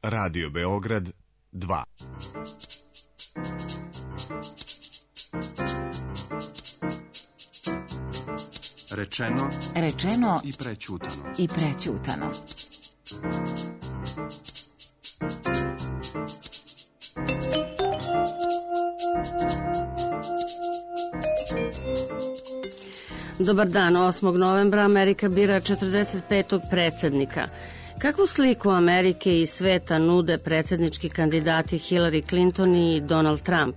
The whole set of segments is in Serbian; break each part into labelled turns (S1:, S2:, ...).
S1: Radio Beograd 2.
S2: Rečeno
S3: i prećutano.
S4: Dobar dan, 8. novembra Amerika bira 45. predsjednika. Kakvu sliku Amerike i sveta nude predsjednički kandidati Hillary Clinton i Donald Trump?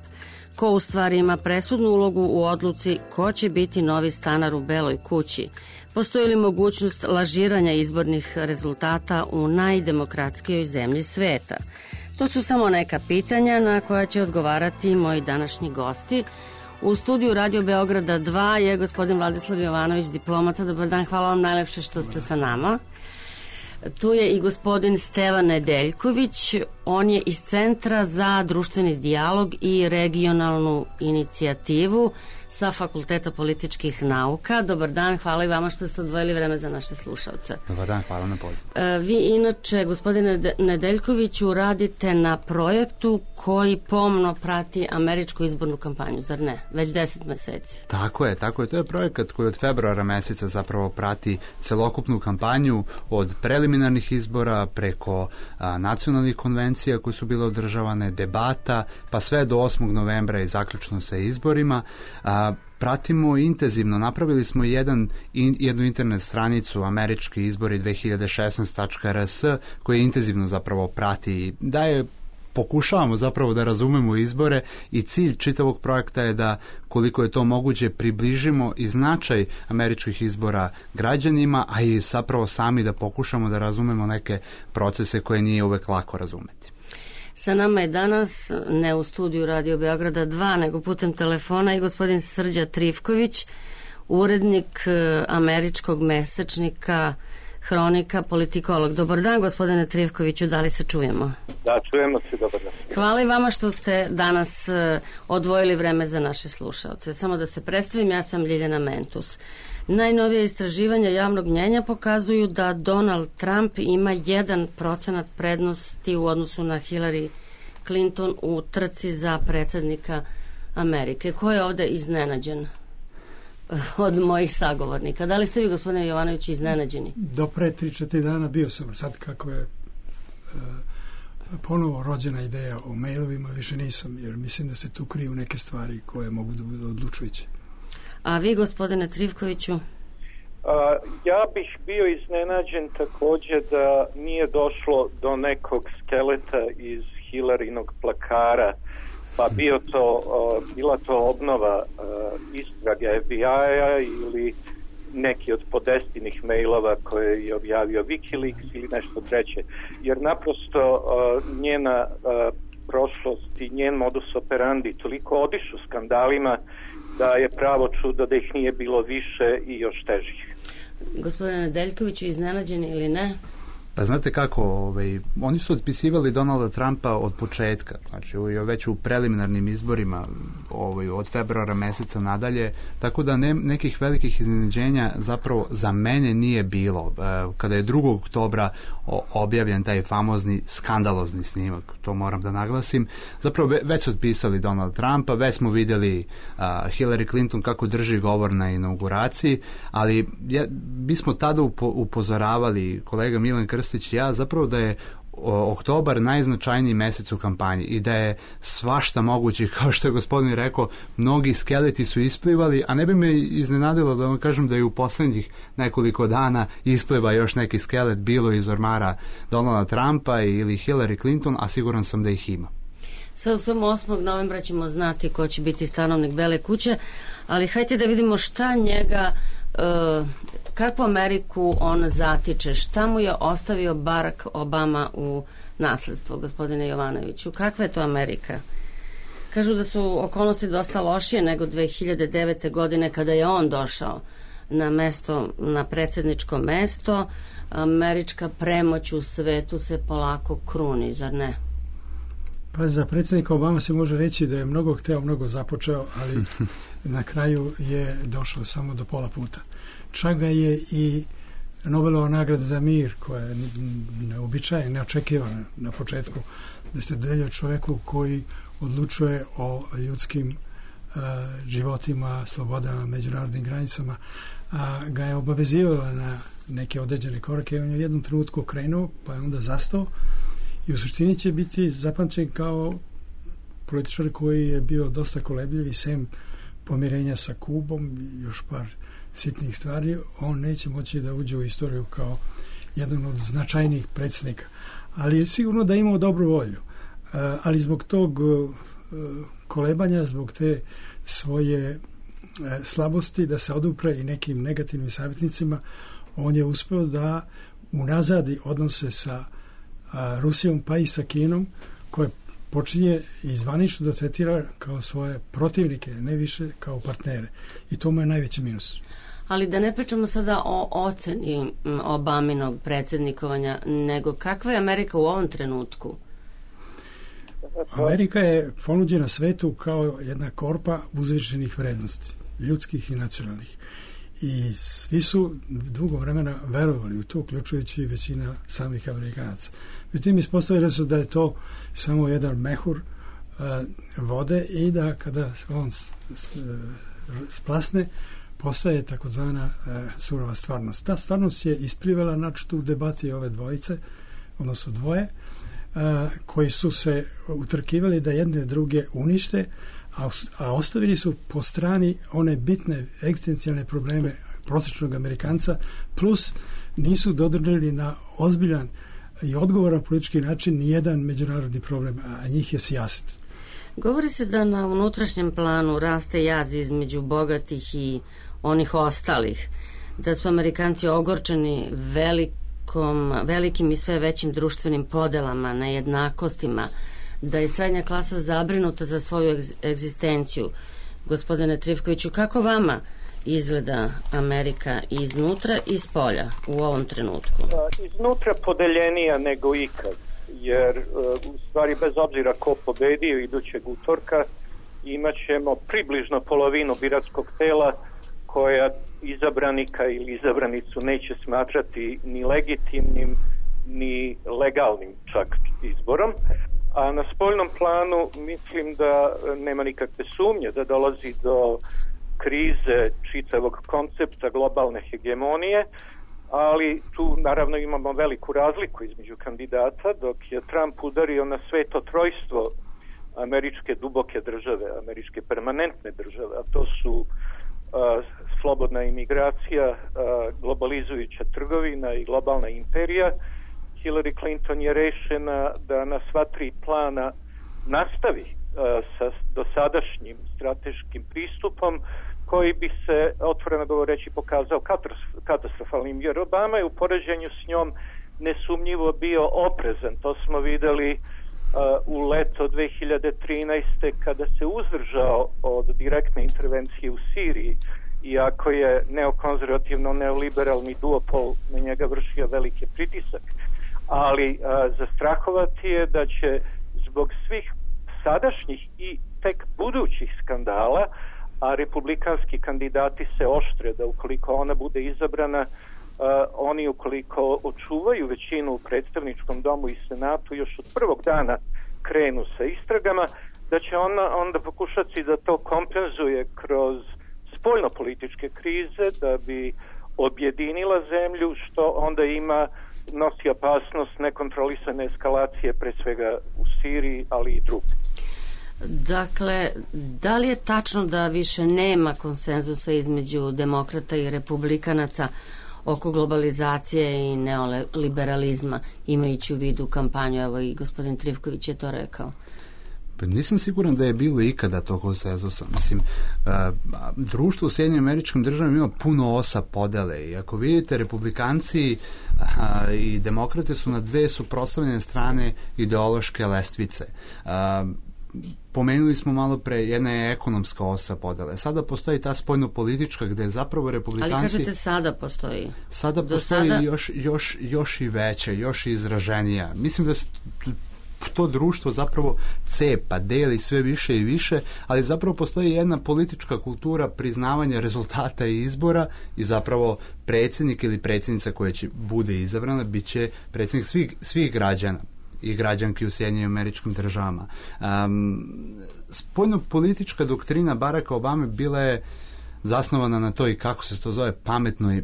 S4: Ko u stvari ima presudnu ulogu u odluci ko će biti novi stanar u Beloj kući? Postoji li mogućnost lažiranja izbornih rezultata u najdemokratskijoj zemlji sveta? To su samo neka pitanja na koja će odgovarati moji današnji gosti. U studiju Radio Beograda 2 je gospodin Vladislav Jovanović, diplomata. Dobar dan, hvala vam najlepše što ste sa nama. Tu je i gospodin Stevan Nedeljković, on je iz Centra za društveni dijalog i regionalnu inicijativu sa Fakulteta političkih nauka. Dobar dan, hvala i vama što ste odvojili vreme za naše slušalce.
S5: Dobar dan, hvala na pozivu.
S4: Vi inače, gospodine Nedeljkoviću, radite na projektu koji pomno prati američku izbornu kampanju, zar ne? Već 10 meseci.
S5: Tako je. To je projekat koji od februara meseca zapravo prati celokupnu kampanju od preliminarnih izbora preko nacionalnih konvencija koje su bile održavane, debata, pa sve do 8. novembra i zaključno sa izborima. Pratimo intenzivno, napravili smo jednu internet stranicu američki izbori 2016.rs koji intenzivno zapravo prati, pokušavamo zapravo da razumemo izbore i cilj čitavog projekta je da koliko je to moguće približimo i značaj američkih izbora građanima, a i zapravo sami da pokušamo da razumemo neke procese koje nije uvek lako razumeti.
S4: Sa nama je danas, ne u studiju Radio Beograda 2, nego putem telefona i gospodin Srđa Trifković, urednik američkog mesečnika Hronika, politikolog. Dobar dan, gospodine Trifkoviću, da li se čujemo?
S6: Da, čujemo se, dobar dan.
S4: Hvala i vama što ste danas odvojili vreme za naše slušalce. Samo da se predstavim, ja sam Ljiljana Mentus. Najnovije istraživanja javnog mnjenja pokazuju da Donald Trump ima 1% prednosti u odnosu na Hillary Clinton u trci za predsjednika Amerike. Ko je ovde iznenađen od mojih sagovornika? Da li ste vi, gospodine Jovanović, iznenađeni?
S7: Do pre 3-4 dana bio sam. Sad kako je ponovo rođena ideja o mailovima, više nisam, jer mislim da se tu kriju neke stvari koje mogu da budu odlučujuće.
S4: A vi, gospodine Trifkoviću?
S6: Ja bih bio iznenađen također da nije došlo do nekog skeleta iz Hillarynog plakara, pa bila to obnova istraga FBI-a ili neki od podestinih mailova koje je objavio Wikileaks ili nešto treće. Jer naprosto njena prošlost i njen modus operandi toliko odišu skandalima da je pravo čudo da ih nije bilo više i još težih.
S4: Gospodine Nedeljkoviću, iznenađeni ili ne?
S5: Pa znate kako, oni su otpisivali Donalda Trumpa od početka, znači već u preliminarnim izborima od februara meseca nadalje, tako da nekih velikih iznenađenja zapravo za mene nije bilo. Kada je 2. oktobra objavljen taj famozni skandalozni snimak, to moram da naglasim, zapravo već su otpisali Donald Trumpa, već smo vidjeli Hillary Clinton kako drži govor na inauguraciji, ali bismo tada upozoravali, kolega Milan Krstić i ja, zapravo da je oktobar najznačajniji mesec u kampanji i da je svašta moguće, kao što je gospodin rekao, mnogi skeleti su isplivali, a ne bi me iznenadilo da vam kažem da je u poslednjih nekoliko dana ispliva još neki skelet, bilo iz ormara Donalda Trumpa ili Hillary Clinton, a siguran sam da ih ima.
S4: Sve u svemu 8. novembra ćemo znati ko će biti stanovnik Bele kuće, ali hajde da vidimo šta njega, kakvu Ameriku on zatiče, šta mu je ostavio Barack Obama u nasledstvo, gospodine Jovanoviću, kakva je to Amerika? Kažu da su okolnosti dosta lošije nego 2009. godine kada je on došao na predsjedničko mesto. Američka premoć u svetu se polako kruni, zar ne?
S7: Pa za predsjednika Obama se može reći da je mnogo hteo, mnogo započeo, ali na kraju je došao samo do pola puta. Čak ga je i Nobelova nagrada za mir, koja je neobičajna, neočekivana na početku, da se dodeljuje čoveku koji odlučuje o ljudskim životima, slobodama, međunarodnim granicama, a ga je obavezivala na neke određene korake. On je u jednom trenutku krenuo, pa je onda zastao i u suštini će biti zapamćen kao političar koji je bio dosta kolebljiv i sem pomirenja sa Kubom i još par sitnih stvari, on neće moći da uđe u istoriju kao jedan od značajnijih predsjednika. Ali sigurno da je imao dobru volju. Ali zbog tog kolebanja, zbog te svoje slabosti da se odupre i nekim negativnim savjetnicima, on je uspeo da unazadi odnose sa Rusijom pa i sa Kinom, koje počinje i zvanično da tretira kao svoje protivnike, ne više kao partnere. I to mu je najveći minus.
S4: Ali da ne pričamo sada o oceni Obaminog predsjednikovanja, nego kakva je Amerika u ovom trenutku?
S7: Amerika je ponuđena svetu kao jedna korpa uzvišenih vrednosti, ljudskih i nacionalnih. I svi su dugo vremena verovali u to, uključujući i većina samih Amerikanaca. Međutim, ispostavili su da je to samo jedan mehur vode i da kada on splasne, postaje takozvana surova stvarnost. Ta stvarnost je isplivela načutu u debati ove dvojice, odnosno dvoje, koji su se utrkivali da jedne druge unište, a ostavili su po strani one bitne egzistencijalne probleme prosječnog Amerikanca, plus nisu dodrnili na ozbiljan i odgovoran politički način nijedan međunarodni problem, a njih je sijaset.
S4: Govori se da na unutrašnjem planu raste jaz između bogatih i onih ostalih, da su Amerikanci ogorčeni velikim i sve većim društvenim podelama, nejednakostima, da je srednja klasa zabrinuta za svoju egzistenciju. Gospodine Trifkoviću, kako vama izgleda Amerika iznutra i spolja u ovom trenutku?
S6: Iznutra podeljenija nego ikad, jer u stvari bez obzira ko pobedio idućeg utorka imat ćemo približno polovinu biračkog tela koja izabranika ili izabranicu neće smatrati ni legitimnim ni legalnim čak izborom. A na spoljnom planu mislim da nema nikakve sumnje da dolazi do krize čitavog koncepta globalne hegemonije, ali tu naravno imamo veliku razliku između kandidata. Dok je Trump udario na sveto trojstvo američke duboke države, američke permanentne države, a to su slobodna imigracija, globalizujuća trgovina i globalna imperija, Hillary Clinton je rešena da na sva tri plana nastavi sa dosadašnjim strateškim pristupom koji bi se, otvoreno govoreći, pokazao katastrofalnim, jer Obama je u poređenju s njom nesumnjivo bio oprezan. To smo videli u leto 2013. kada se uzdržao od direktne intervencije u Siriji, iako je neokonzervativno-neoliberalni duopol na njega vršio veliki pritisak. Ali zastrahovati je da će zbog svih sadašnjih i tek budućih skandala, a republikanski kandidati se oštre da ukoliko ona bude izabrana, oni ukoliko očuvaju većinu u predstavničkom domu i senatu još od prvog dana krenu sa istragama, da će ona onda pokušati da to kompenzuje kroz spoljno-političke krize da bi objedinila zemlju, što onda nosi opasnost nekontrolisane eskalacije pre svega u Siriji, ali i drugdje.
S4: Dakle, da li je tačno da više nema konsenzusa između demokrata i republikanaca oko globalizacije i neoliberalizma, imajući u vidu kampanju, evo i gospodin Trifković je to rekao?
S5: Pa nisam siguran da je bilo ikada tog konsenzusa. Mislim, društvo u Sjedinjenim Američkim Državama ima puno osa podele i ako vidite, republikanci i demokrate su na dve suprotstavljene strane ideološke lestvice. Pomenuli smo malo pre, jedna je ekonomska osa podele. Sada postoji ta spoljno-politička gde zapravo republikanci...
S4: Ali kažete sada postoji?
S5: Sada postoji još i veća, još i izraženija. Mislim da to društvo zapravo cepa, deli sve više i više, ali zapravo postoji jedna politička kultura priznavanja rezultata i izbora i zapravo predsjednik ili predsjednica koja će bude izabrana bit će predsjednik svih građana i građanki u Sjedinjenim Američkim Državama. Spoljno-politička doktrina Baracka Obame bila je zasnovana na to i kako se to zove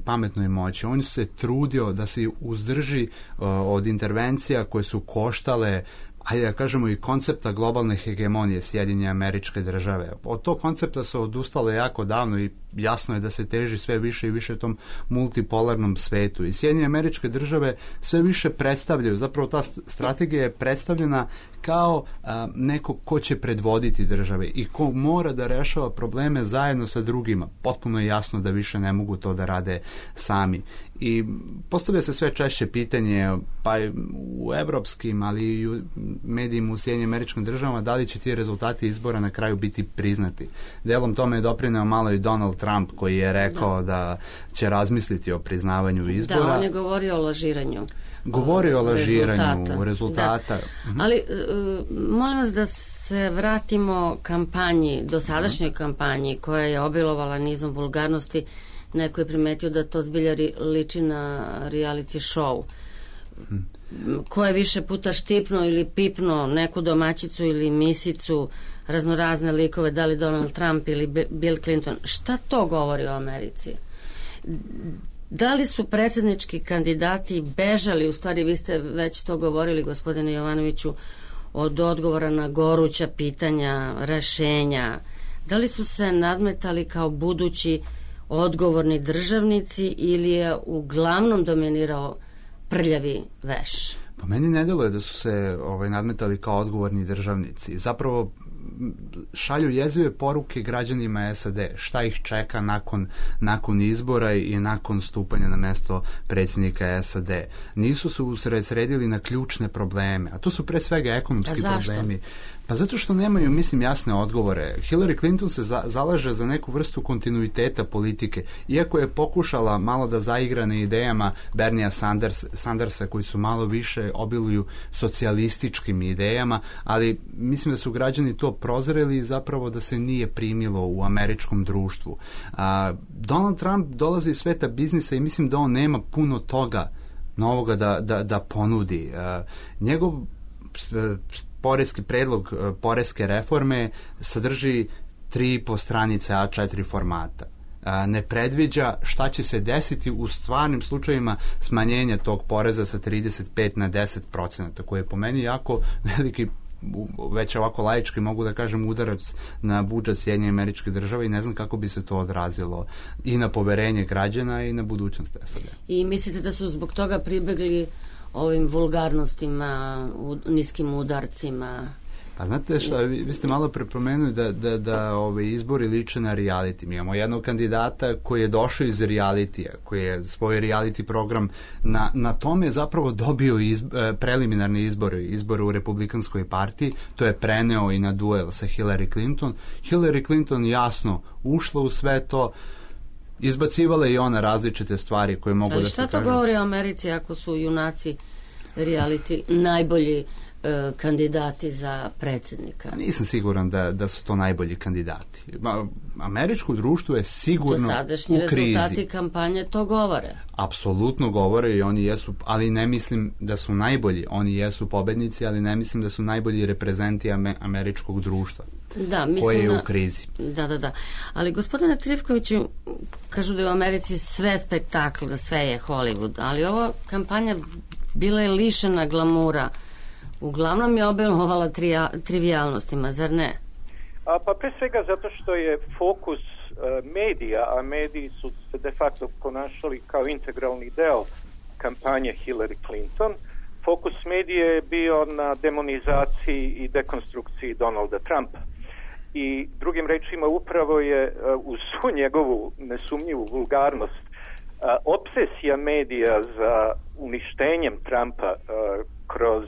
S5: pametnoj moći. On se trudio da se uzdrži od intervencija koje su koštale, ajde da kažemo, i koncepta globalne hegemonije Sjedinjene Američke Države. Od tog koncepta se odustalo jako davno i jasno je da se teži sve više i više tom multipolarnom svetu. I Sjedinjene Američke Države sve više predstavljaju, zapravo ta strategija je predstavljena kao neko ko će predvoditi države i ko mora da rešava probleme zajedno sa drugima. Potpuno je jasno da više ne mogu to da rade sami. I postavlja se sve češće pitanje, pa u evropskim, ali i u medijima u Sjedinjenim Američkim Državama, da li će ti rezultati izbora na kraju biti priznati. Delom tome je doprineo malo i Donald Trump, koji je rekao da će razmisliti o priznavanju izbora.
S4: Da, on je govorio o lažiranju.
S5: Govorio o lažiranju rezultata.
S4: Da. Ali molim vas da se vratimo kampanji, dosadašnjoj kampanji koja je obilovala nizom vulgarnosti. Neko je primetio da to zbilja liči na reality show. Ko je više puta štipno ili pipno neku domaćicu ili misicu, raznorazne likove, da li Donald Trump ili Bill Clinton. Šta to govori o Americi? Da li su predsjednički kandidati bežali, u stvari vi ste već to govorili, gospodine Jovanoviću, od odgovora na goruća pitanja, rešenja? Da li su se nadmetali kao budući odgovorni državnici ili je uglavnom dominirao prljavi veš?
S5: Pa meni ne deluje da su se nadmetali kao odgovorni državnici. Zapravo šalju jezive poruke građanima SAD, šta ih čeka nakon izbora i nakon stupanja na mesto predsjednika SAD. Nisu se usredsredili na ključne probleme, a to su pre svega ekonomski problemi. Pa zato što nemaju, mislim, jasne odgovore. Hillary Clinton se zalaže za neku vrstu kontinuiteta politike, iako je pokušala malo da zaigra na idejama Bernija Sandersa, koji su malo više obiluju socijalističkim idejama, ali mislim da su građani to prozreli i zapravo da se nije primilo u američkom društvu. Donald Trump dolazi iz sveta biznisa i mislim da on nema puno toga novoga da ponudi. Njegov poreski predlog poreske reforme sadrži 3,5 stranice A4 formata. Ne predviđa šta će se desiti u stvarnim slučajevima smanjenja tog poreza sa 35 na 10%, koji je po meni jako veliki, već ovako laički mogu da kažem, udarac na budžet Sjedinjenih Američkih Država i ne znam kako bi se to odrazilo i na poverenje građana i na budućnost SAD. I
S4: mislite da su zbog toga pribegli ovim vulgarnostima, niskim udarcima?
S5: Pa znate šta, vi ste malo prepomenuli da izbori liče na reality. Mi imamo jednog kandidata koji je došao iz realitija, koji je svoj reality program na tome je zapravo dobio preliminarne izbore u Republikanskoj partiji, to je preneo i na duel sa Hillary Clinton. Hillary Clinton jasno ušla u sve to, izbacivala i ona različite stvari koje mogu da se kažem.
S4: Šta to govori o Americi ako su junaci reality najbolji kandidati za predsjednika?
S5: Nisam siguran da su to najbolji kandidati. Američko društvo je sigurno
S4: dosadašnji
S5: u krizi.
S4: Rezultati kampanje to govore.
S5: Apsolutno govore i oni jesu, ali ne mislim da su najbolji. Oni jesu pobednici, ali ne mislim da su najbolji reprezenti američkog društva.
S4: Da, mislim
S5: koje je u krizi.
S4: Da. Ali gospodine Trifkoviću, kažu da je u Americi sve spektakl, da sve je Hollywood, ali ova kampanja bila je lišena glamura. Uglavnom je obilovala trivijalnostima, zar ne?
S6: Pa pre svega zato što je fokus medija, a mediji su se de facto ponašali kao integralni deo kampanje Hillary Clinton. Fokus medije je bio na demonizaciji i dekonstrukciji Donalda Trumpa. I drugim rečima upravo je uz svu njegovu nesumnjivu vulgarnost obsesija medija za uništenjem Trumpa kroz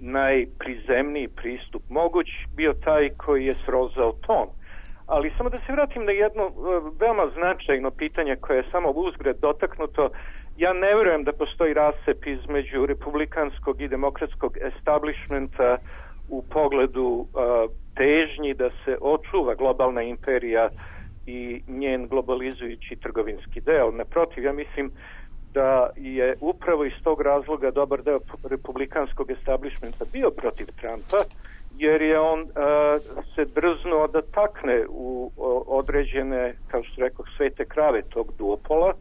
S6: najprizemniji pristup moguć bio taj koji je srozao ton. Ali samo da se vratim na jedno veoma značajno pitanje koje je samo uzgred dotaknuto, Ja ne vjerujem da postoji rascep između republikanskog i demokratskog establishmenta u pogledu težnji da se očuva globalna imperija i njen globalizujući trgovinski deo. Naprotiv, ja mislim da je upravo iz tog razloga dobar deo republikanskog establishmenta bio protiv Trumpa, jer je on se drznuo da takne u određene, kao što rekao, svete krave tog duopola,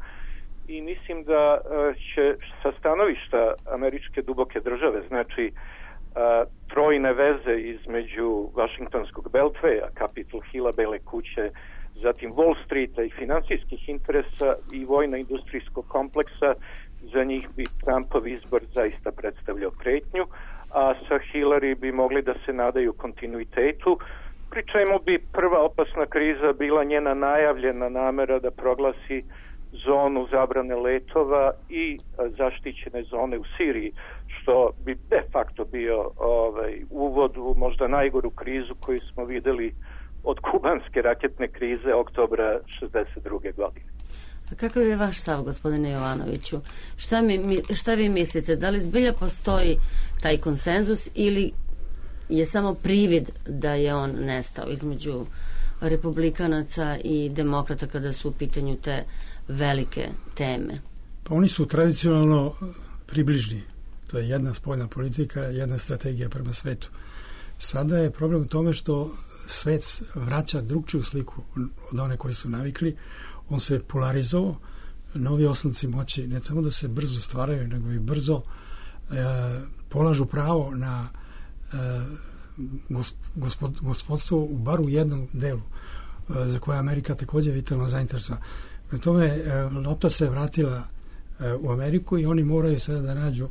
S6: i mislim da će sa stanovišta američke duboke države, znači trojne veze između Vašingtonskog Beltveja, Capitol Hilla, Bele kuće, zatim Wall Streeta i finansijskih interesa i vojno-industrijskog kompleksa, za njih bi Trumpov izbor zaista predstavljao pretnju, a sa Hillary bi mogli da se nadaju kontinuitetu, pri čemu bi prva opasna kriza bila njena najavljena namera da proglasi zonu zabrane letova i zaštićene zone u Siriji, što bi de facto bio uvod u možda najgoru krizu koju smo vidjeli od kubanske raketne krize oktobra 1962. godine.
S4: A kakav je vaš stav, gospodine Jovanoviću? Šta vi mislite? Da li zbilja postoji taj konsenzus ili je samo privid da je on nestao između republikanaca i demokrata kada su u pitanju te velike teme?
S7: Pa oni su tradicionalno približni. To je jedna spoljna politika, jedna strategija prema svetu. Sada je problem u tome što svet vraća drugčiju sliku od one koji su navikli. On se polarizovao, novi oslonci moći ne samo da se brzo stvaraju, nego i brzo polažu pravo na gospodstvo u bar u jednom delu, za koje Amerika također vitalno zainteresovana. Pri tome lopta se vratila u Ameriku i oni moraju sada da nađu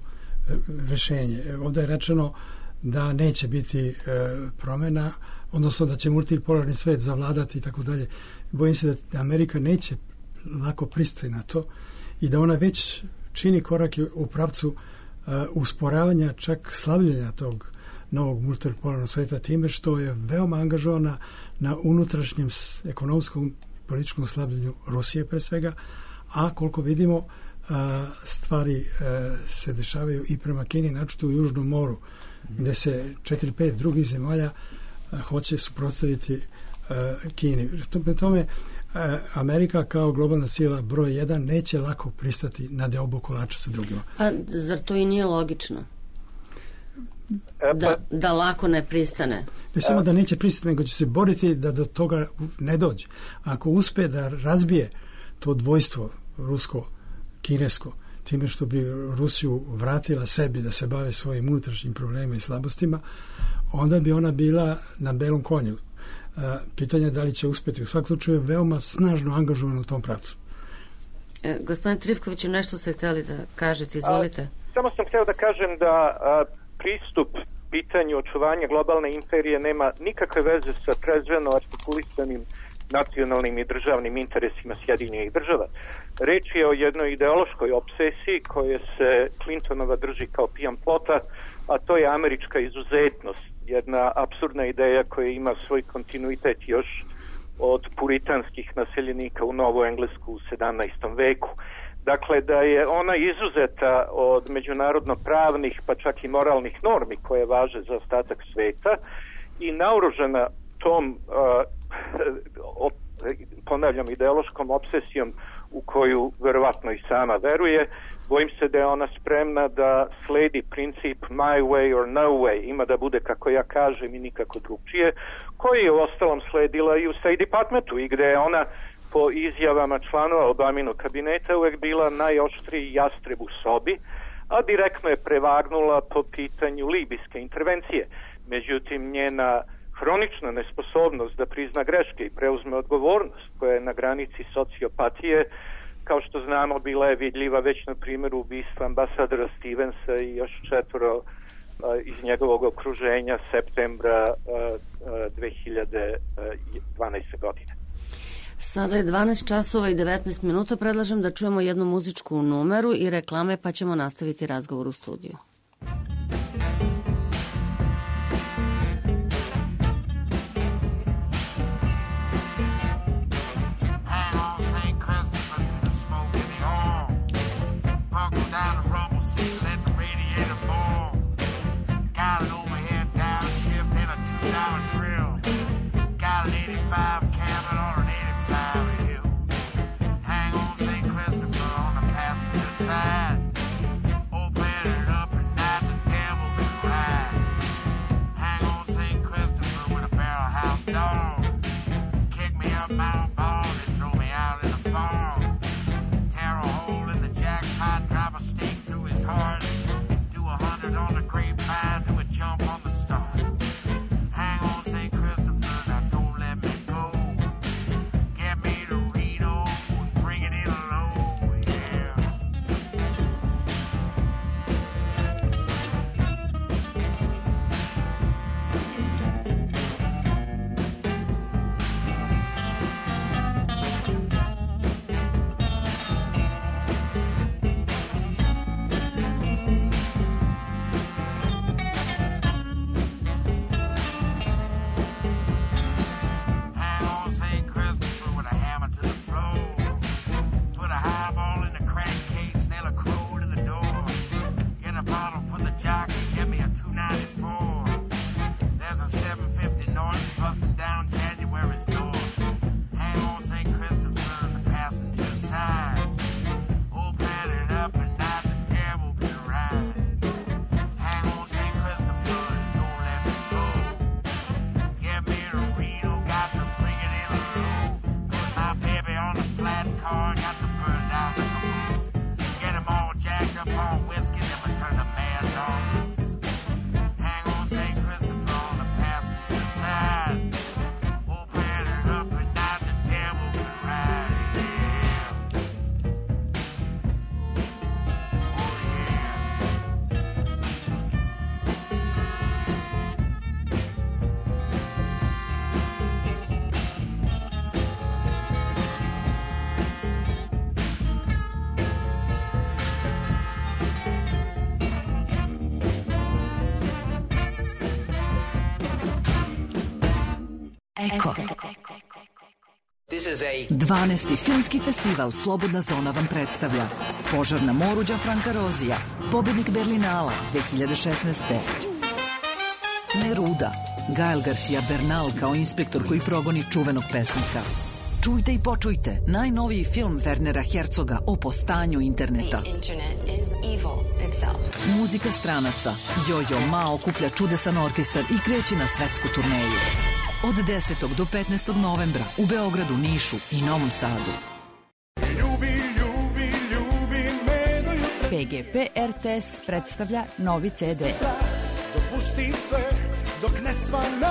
S7: rješenje. Ovdje je rečeno da neće biti promjena, odnosno da će multipolarni svet zavladati i tako dalje. Bojim se da Amerika neće lako pristati na to i da ona već čini korake u pravcu usporavanja, čak slabljenja tog novog multipolarnog sveta time što je veoma angažovana na unutrašnjem ekonomskom i političkom slabljenju Rusije pre svega, a koliko vidimo stvari se dešavaju i prema Kini, naročito u Južnom moru, gde se 4-5 drugih zemalja hoće suprotstaviti Kini. Tome Amerika kao globalna sila broj 1 neće lako pristati na deobu kolača sa drugima.
S4: A zar to i nije logično? Da lako ne pristane?
S7: Ne samo da neće pristati, nego će se boriti da do toga ne dođe. Ako uspe da razbije to dvojstvo rusko-kinesko, time što bi Rusiju vratila sebi da se bave svojim unutrašnjim problemima i slabostima, onda bi ona bila na belom konju. Pitanje je da li će uspjeti. U svakom slučaju je veoma snažno angažovan u tom pravcu.
S4: Gospodin Trifković, nešto ste htjeli da kažete, izvolite.
S6: Samo sam htio da kažem da pristup pitanju očuvanja globalne imperije nema nikakve veze sa trezveno artikulisanim nacionalnim i državnim interesima Sjedinjenih država. Reč je o jednoj ideološkoj obsesiji koje se Clintonova drži kao pijan plota, a to je američka izuzetnost. Jedna apsurdna ideja koja ima svoj kontinuitet još od puritanskih naseljenika u Novu Englesku u 17. veku. Dakle, da je ona izuzeta od međunarodno pravnih, pa čak i moralnih normi koje važe za ostatak sveta i naoružana tom, ponavljam, ideološkom obsesijom u koju verovatno i sama veruje, bojim se da je ona spremna da sledi princip my way or no way, ima da bude kako ja kažem i nikako drugčije, koji je uostalom sledila i u State Departmentu i gde je ona po izjavama članova Obaminog kabineta uvek bila najoštriji jastreb u sobi, a direktno je prevagnula po pitanju libijske intervencije. Međutim, njena hronična nesposobnost da prizna greške i preuzme odgovornost koja je na granici sociopatije, kao što znamo, bila je vidljiva već na primjeru ubistva ambasadora Stevensa i još 4 iz njegovog okruženja septembra 2012. godine.
S4: Sada je 12 časova i 19 minuta. Predlažem da čujemo jednu muzičku numeru i reklame, pa ćemo nastaviti razgovor u studiju.
S2: stall. Kick me up Mount Ball and throw me out in the fall. Tear a hole in the jackpot, drive a stake through his heart. Do 100 on the grapevine, do a jump on the start. Hang on St. Christopher, now don't let me go. Get me to Reno and bring it in low, yeah. Hang on St. Christopher with a hammer to the floor. Put a highball in the crack case, nail a crow to the door. Get a bottle for the jockey, get me a 294. There's a 750 north busting down January's door. Hang on St. Christopher on the passenger side. Open it up and not the devil can ride. Hang on St. Christopher and don't let me go. Get me to Reno, got to bring it in low. Put my baby on a flat car, got to burn down the caboose. Get him all jacked up on whiskey, then we turn the mad dog loose. Hang on St. Christopher on the passenger side. Open it up and not the devil can ride, yeah. Oh yeah.
S3: Eko.
S8: This is a
S3: 12. filmski festival Slobodna zona vam predstavlja Požar na moru Gianfranca Rozija, pobednik Berlinala 2016. Neruda, Gael Garcia Bernal kao inspektor koji progoni čuvenog pesnika. Čujte i počujte najnoviji film Wernera Herzoga o postanju interneta. Muzika stranaca. Jojo Ma okuplja čudesan orkestar i kreće na svetsku turneju. Od 10. do 15. novembra u Beogradu, Nišu i Novom Sadu.
S9: PGP RTS predstavlja novi CD.
S10: Dopusti sve dok ne svanaj.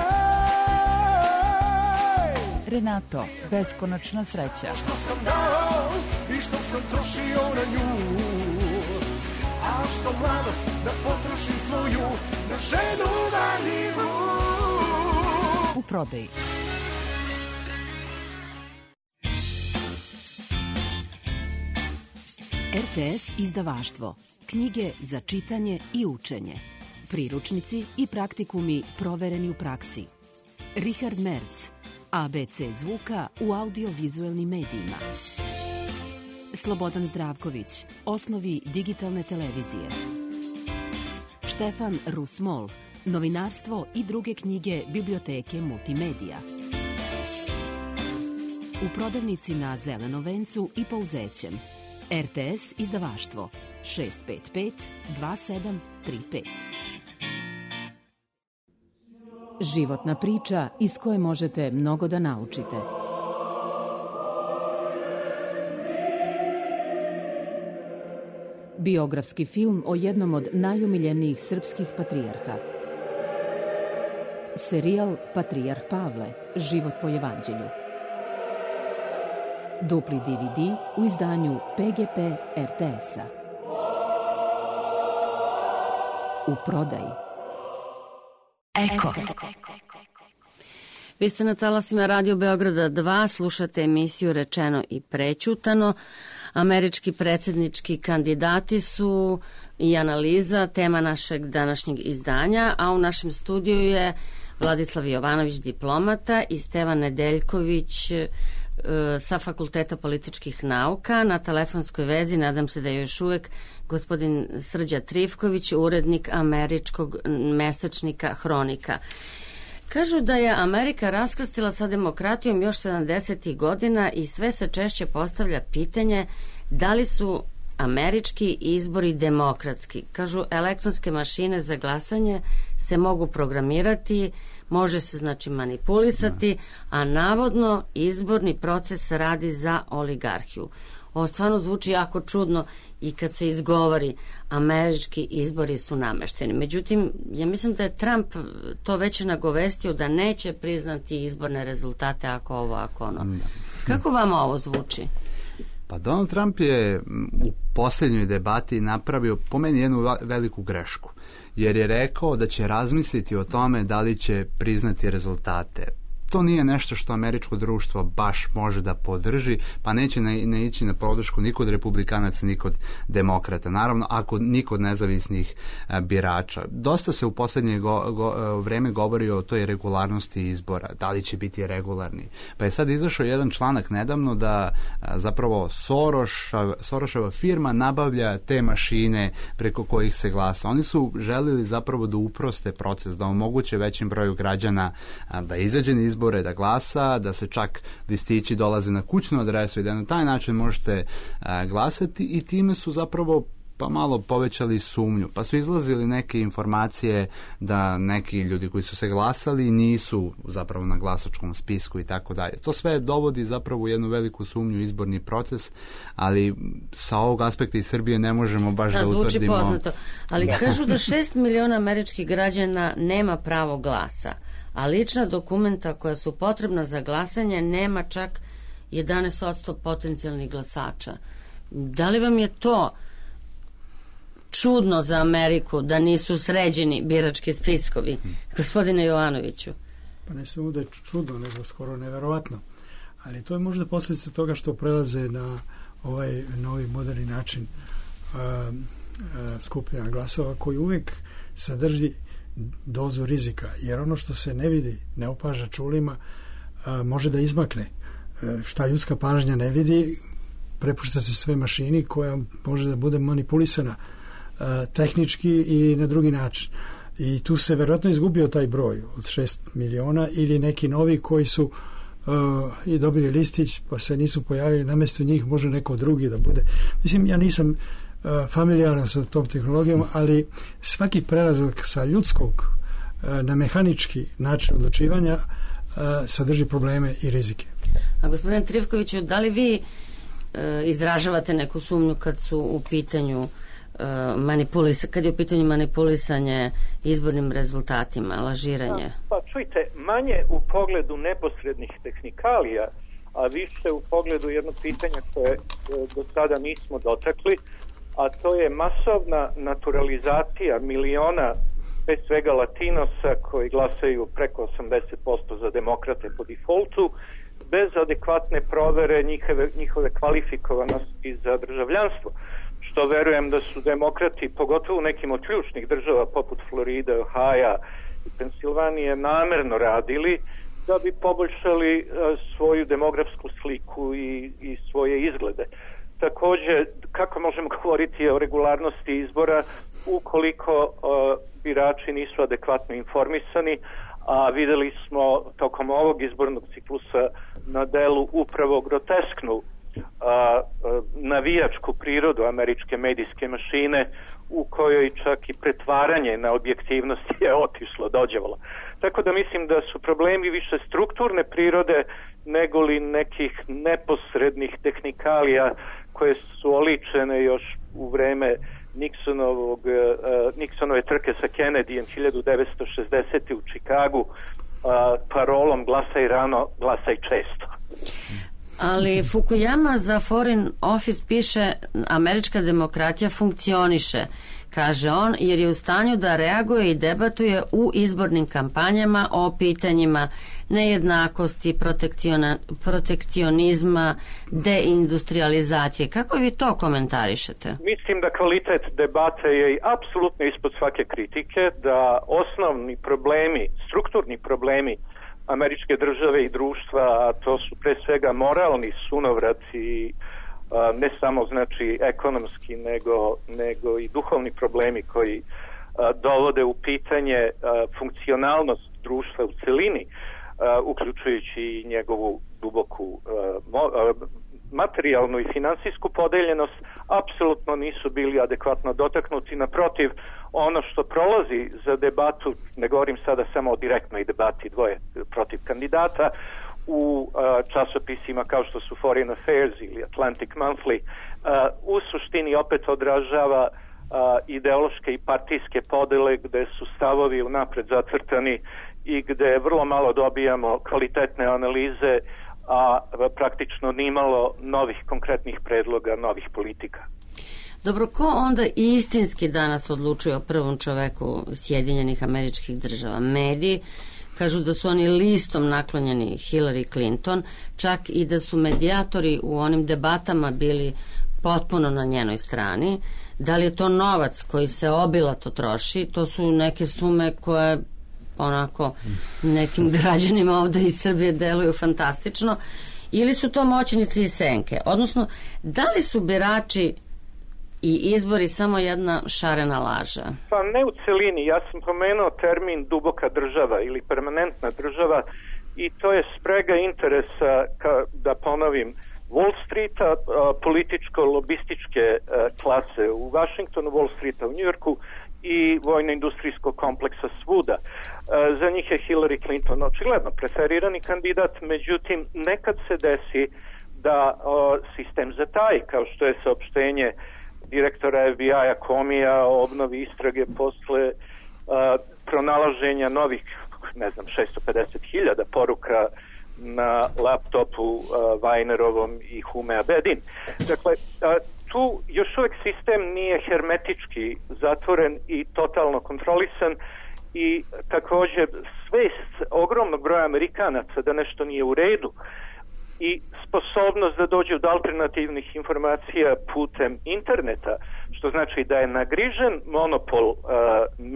S9: Renato, beskonačna sreća.
S10: Što sam dao i što sam trošio na nju, a što mladost da potrošim svoju na ženu valiju.
S9: U prodaji. RTS izdavaštvo. Knjige za čitanje i učenje. Priručnici i praktikumi provereni u praksi. Richard Merz. ABC zvuka u audiovizuelnim medijima. Slobodan Zdravković. Osnovi digitalne televizije. Štefan Rusmol. Novinarstvo i druge knjige biblioteke Multimedija. U prodavnici na Zelenom vencu i Pouzećem. RTS izdavaštvo 655 2735. Životna priča iz koje možete mnogo da naučite. Biografski film o jednom od najomiljenijih srpskih patrijarha. Serijal Patrijarh Pavle, život po evanđelju. Dupli DVD u izdanju PGP RTS-a. U prodaji.
S3: Eko.
S4: Vi ste na talasima Radio Beograda 2, slušate emisiju Rečeno i prećutano. Američki predsjednički kandidati su i analiza tema našeg današnjeg izdanja, a u našem studiju je Vladislav Jovanović, diplomata, i Stevan Nedeljković sa Fakulteta političkih nauka. Na telefonskoj vezi, nadam se da je još uvek, gospodin Srđa Trifković, urednik američkog mesečnika Hronika. Kažu da je Amerika raskrstila sa demokratijom još 70. godina i sve se češće postavlja pitanje da li su američki izbori demokratski. Kažu, elektronske mašine za glasanje se mogu programirati, može se znači manipulisati, a navodno izborni proces radi za oligarhiju. Ovo stvarno zvuči jako čudno i kad se izgovori američki izbori su namešteni. Međutim, ja mislim da je Trump to već nagovestio da neće priznati izborne rezultate ako ovo, ako ono. Kako vama ovo zvuči?
S5: Pa Donald Trump je u posljednjoj debati napravio po meni jednu veliku grešku, jer je rekao da će razmisliti o tome da li će priznati rezultate. To nije nešto što američko društvo baš može da podrži, pa neće ne ići na podršku ni kod republikanaca, ni kod demokrata. Naravno, ako ni kod nezavisnih birača. Dosta se u posljednje vreme govori o toj regularnosti izbora, da li će biti regularni. Pa je sad izašao jedan članak nedavno da zapravo Soroševa firma nabavlja te mašine preko kojih se glasa. Oni su želili zapravo da uproste proces, da omoguće većim broju građana da izađe na izbore, da glasa, da se čak listići dolaze na kućnu adresu i da na taj način možete glasati, i time su zapravo pa malo povećali sumnju. Pa su izlazili neke informacije da neki ljudi koji su se glasali nisu zapravo na glasačkom spisku i tako dalje. To sve dovodi zapravo u jednu veliku sumnju u izborni proces, ali sa ovog aspekta iz Srbije ne možemo baš da utvrdimo.
S4: Zvuči poznato. Ali kažu da 6 miliona američkih građana nema pravo glasa, a lična dokumenta koja su potrebna za glasanje nema čak 11% potencijalnih glasača. Da li vam je to čudno za Ameriku da nisu sređeni birački spiskovi, gospodine Jovanoviću?
S7: Pa ne samo da je čudno, nego skoro neverovatno. Ali to je možda posljedica toga što prelaze na ovaj novi moderni način skupljanja glasova, koji uvijek sadrži dozu rizika, jer ono što se ne vidi, ne opaža čulima, može da izmakne. Šta ljudska pažnja ne vidi, prepušta se sve mašini koja može da bude manipulisana tehnički ili na drugi način. I tu se verovatno izgubio taj broj od 6 miliona ili neki novi koji su i dobili listić pa se nisu pojavili, namjesto njih može neko drugi da bude. Mislim, ja nisam familijaran sa tom tehnologijom, ali svaki prelazak sa ljudskog na mehanički način odlučivanja sadrži probleme i rizike.
S4: A gospodine Trivkoviću, da li vi izražavate neku sumnju kad su u pitanju kad je u pitanju manipulisanje izbornim rezultatima, lažiranje?
S6: Pa čujte, manje u pogledu neposrednih tehnikalija, a više u pogledu jednog pitanja koje do sada nismo dotakli, a to je masovna naturalizacija miliona, bez svega Latinosa, koji glasaju preko 80% za demokrate po defaultu, bez adekvatne provere njihove kvalifikovanosti za državljanstvo. Što verujem da su demokrati, pogotovo u nekim od ključnih država poput Floride, Ohaja i Pensilvanije, namerno radili da bi poboljšali svoju demografsku sliku i svoje izglede. Također, kako možemo govoriti o regularnosti izbora ukoliko birači nisu adekvatno informisani, a videli smo tokom ovog izbornog ciklusa na delu upravo grotesknu navijačku prirodu američke medijske mašine, u kojoj čak i pretvaranje na objektivnost je otišlo, dođevalo. Tako da mislim da su problemi više strukturne prirode nego li nekih neposrednih tehnikalija koje su oličene još u vreme Nixonove trke sa Kennedyjem 1960. u Čikagu parolom glasaj rano, glasaj često.
S4: Ali Fukuyama za Foreign Office piše američka demokratija funkcioniše, kaže on, jer je u stanju da reaguje i debatuje u izbornim kampanjama o pitanjima nejednakosti, protekcionizma, deindustrializacije. Kako vi to komentarišete?
S6: Mislim da kvalitet debate je apsolutno ispod svake kritike, da osnovni problemi, strukturni problemi američke države i društva, a to su pre svega moralni sunovraci, ne samo znači ekonomski nego i duhovni problemi koji dovode u pitanje funkcionalnost društva u celini, uključujući i njegovu duboku materijalnu i finansijsku podeljenost apsolutno nisu bili adekvatno dotaknuti. Naprotiv, ono što prolazi za debatu, ne govorim sada samo o direktnoj debati dvoje protiv kandidata, u časopisima kao što su Foreign Affairs ili Atlantic Monthly, u suštini opet odražava ideološke i partijske podele gde su stavovi unapred zacrtani i gde vrlo malo dobijamo kvalitetne analize, a praktično nimalo novih konkretnih predloga, novih politika.
S4: Dobro, ko onda istinski danas odlučuje o prvom čoveku Sjedinjenih Američkih Država? Mediji kažu da su oni listom naklonjeni Hillary Clinton, čak i da su medijatori u onim debatama bili potpuno na njenoj strani. Da li je to novac koji se obilato troši? To su neke sume koje onako nekim građanima ovde iz Srbije deluju fantastično. Ili su to moćnici i senke? Odnosno, da li su birači i izbori samo jedna šarena laža?
S6: Pa ne u celini. Ja sam pomenuo termin duboka država ili permanentna država i to je sprega interesa, da ponovim, Wall Streeta, političko-lobističke klase u Washingtonu, Wall Streeta u Njujorku i vojno-industrijskog kompleksa svuda. Za njih je Hillary Clinton očigledno preferirani kandidat, međutim nekad se desi da sistem zataji, kao što je saopštenje direktora FBI-a Comeyja o obnovi istrage posle pronalaženja novih, 650.000 poruka na laptopu Vajnerovom i Hume Abedin. Dakle, tu još uvek sistem nije hermetički zatvoren i totalno kontrolisan i također svest ogromnog broja Amerikanaca da nešto nije u redu i sposobnost da dođe do alternativnih informacija putem interneta, što znači da je nagrižen monopol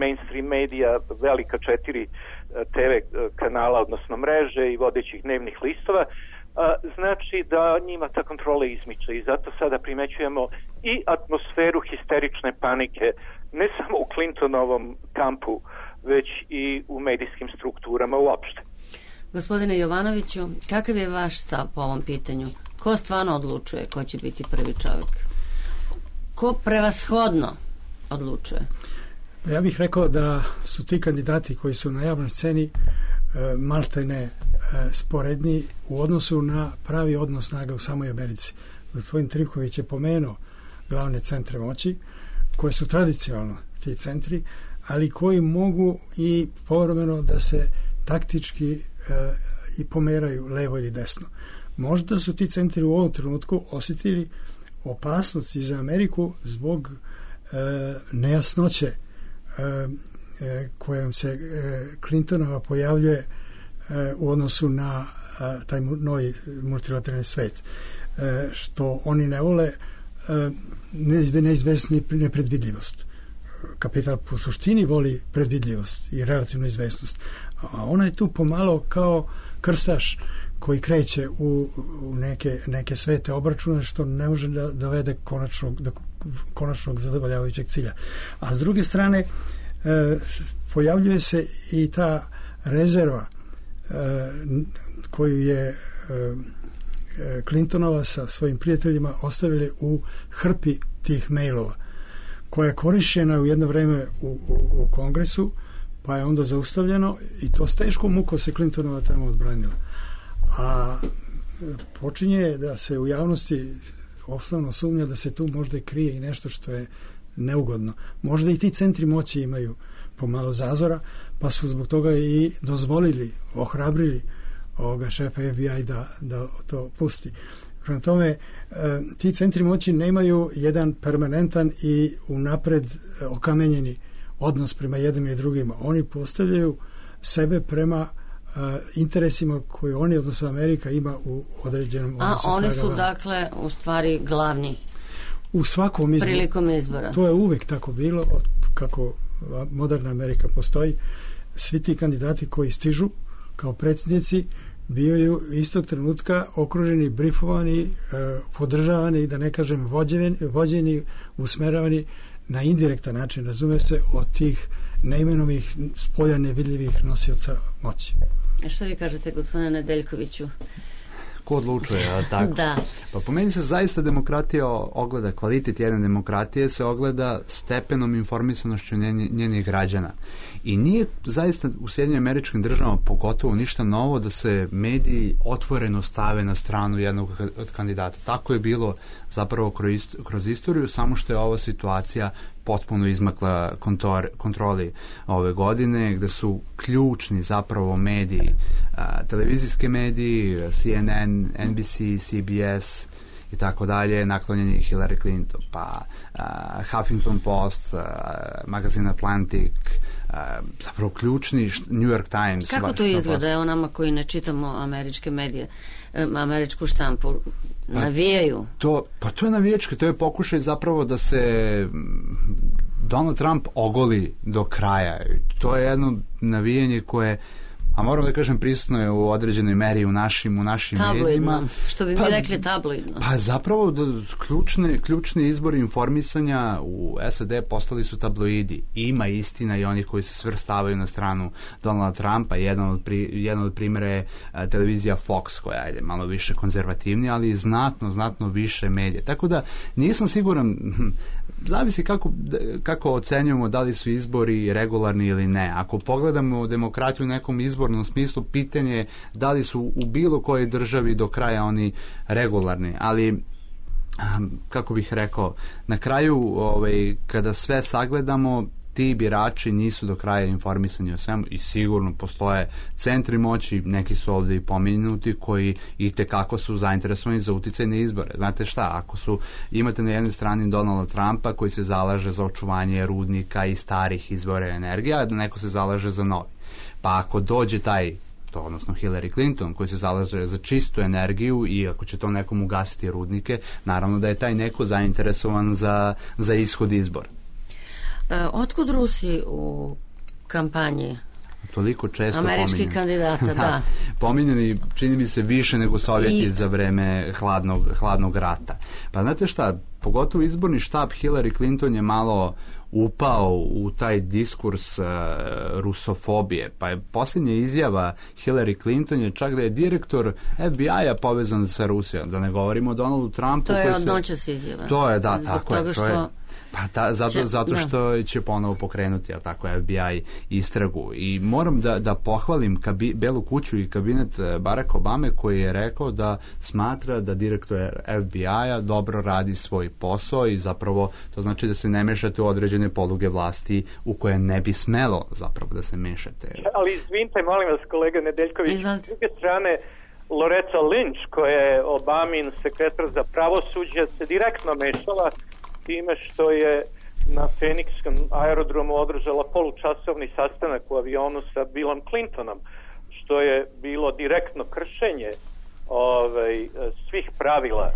S6: mainstream medija, velika 4 TV kanala, odnosno mreže i vodećih dnevnih listova, znači da njima ta kontrola izmiče i zato sada primećujemo i atmosferu histerične panike, ne samo u Clintonovom kampu, već i u medijskim strukturama uopšte.
S4: Gospodine Jovanoviću, kakav je vaš stav po ovom pitanju? Ko stvarno odlučuje ko će biti prvi čovjek? Ko prevashodno odlučuje?
S7: Ja bih rekao da su ti kandidati koji su na javnoj sceni maltene sporedni u odnosu na pravi odnos snaga u samoj Americi. Gospodin Trivković je pomenuo glavne centre moći, koje su tradicionalno ti centri, ali koji mogu i povremeno da se taktički i pomeraju levo ili desno. Možda su ti centri u ovom trenutku osjetili opasnost i za Ameriku zbog nejasnoće kojom se Clintonova pojavljuje u odnosu na taj novi multilateralni svet. Što oni ne vole neizvesnu nepredvidljivost. Kapital po suštini voli predvidljivost i relativnu izvesnost. A ona je tu pomalo kao krstaš koji kreće u neke svete obračune što ne može da dovede do konačnog zadovoljavajućeg cilja. A s druge strane pojavljuje se i ta rezerva koju je Clintonova sa svojim prijateljima ostavili u hrpi tih mailova, koja je korišćena u jedno vreme u Kongresu, pa je onda zaustavljeno i to s teškom mukom se Clintonova tamo odbranila. A počinje da se u javnosti osnovno sumnja da se tu možda krije i nešto što je neugodno. Možda i ti centri moći imaju pomalo zazora, pa su zbog toga i dozvolili, ohrabrili ovoga šefa FBI da to pusti. Prema tome, ti centri moći nemaju jedan permanentan i unapred okamenjeni odnos prema jednim i drugima. Oni postavljaju sebe prema interesima koje oni, odnosno Amerika, ima u određenom odnosu.
S4: A oni su dakle u stvari glavni
S7: u svakom izboru,
S4: prilikom izbora.
S7: To je uvek tako bilo, od kako moderna Amerika postoji. Svi ti kandidati koji stižu kao predsjednici bivaju istog trenutka okruženi, brifovani, podržavani, da ne kažem vođeni, usmeravani na indirektan način, razume se, od tih neimenovih, spolja nevidljivih nosioca moći.
S4: A što vi kažete, gospodine Nedeljkoviću?
S5: ko odlučuje, tako?
S4: Da.
S5: Pa po meni se zaista demokratija ogleda, kvalitet jedne demokratije se ogleda stepenom informisanošću njenih građana. I nije zaista u Sjedinjenim Američkim Državama pogotovo ništa novo da se mediji otvoreno stave na stranu jednog od kandidata. Tako je bilo zapravo kroz istoriju, samo što je ova situacija potpuno izmakla kontroli ove godine, gde su ključni zapravo mediji, televizijski mediji, CNN, NBC, CBS i tako dalje, naklonjeni Hillary Clinton, pa Huffington Post, magazin Atlantic, zapravo ključni New York Times.
S4: Kako to izgleda, evo nama koji ne čitamo američke medije, američku štampu, navijaju? To
S5: je navijački, to je pokušaj zapravo da se Donald Trump ogoli do kraja. To je jedno navijanje koje, a moram da kažem, prisutno je u određenoj meri u našim medijima.
S4: Što bi mi rekli tabloidno.
S5: Pa zapravo ključni izbori informisanja u SAD postali su tabloidi. Ima istina i oni koji se svrstavaju na stranu Donalda Trumpa. Jedan od primjera je televizija Fox, koja je malo više konzervativnija, ali znatno više medija. Tako da nisam siguran, zavisi kako ocenjujemo da li su izbori regularni ili ne. Ako pogledamo demokratiju u nekom izbornom smislu, pitanje je da li su u bilo kojoj državi do kraja oni regularni, ali kako bih rekao, na kraju kada sve sagledamo, ti birači nisu do kraja informisani o svemu i sigurno postoje centri moći, neki su ovdje i pomenuti, koji itekako su zainteresovani za uticajne izbore. Znate šta, imate na jednoj strani Donalda Trumpa koji se zalaže za očuvanje rudnika i starih izvora energije, a neko se zalaže za novi. Pa ako dođe odnosno Hillary Clinton koji se zalaže za čistu energiju i ako će to nekom ugasiti rudnike, naravno da je taj neko zainteresovan za ishod izbora.
S4: Otkud Rusi u kampanji?
S5: Toliko često
S4: američkih kandidata, da.
S5: Pominjeni, čini mi se, više nego Sovjeti za vreme hladnog rata. Pa znate šta, pogotovo izborni štab Hillary Clinton je malo upao u taj diskurs rusofobije. Pa je posljednja izjava Hillary Clinton je čak da je direktor FBI-a povezan sa Rusijom. Da ne govorimo o Donaldu Trumpu.
S4: To je od noćas izjava.
S5: To je, da, tako je. Zato što će ponovo pokrenuti FBI istragu. I moram da pohvalim Belu kuću i kabinet Barack Obame koji je rekao da smatra da direktor FBI-a dobro radi svoj posao i zapravo to znači da se ne mešate u određene poluge vlasti u koje ne bi smelo zapravo da se mešate.
S6: Ali izvinite, molim vas, kolega Nedeljković, s druge strane Loretta Lynch, koja je Obamin sekretar za pravosuđe, se direktno mešala time što je na Phoenixkom aerodromu održala polučasovni sastanak u avionu sa Billom Clintonom, što je bilo direktno kršenje svih pravila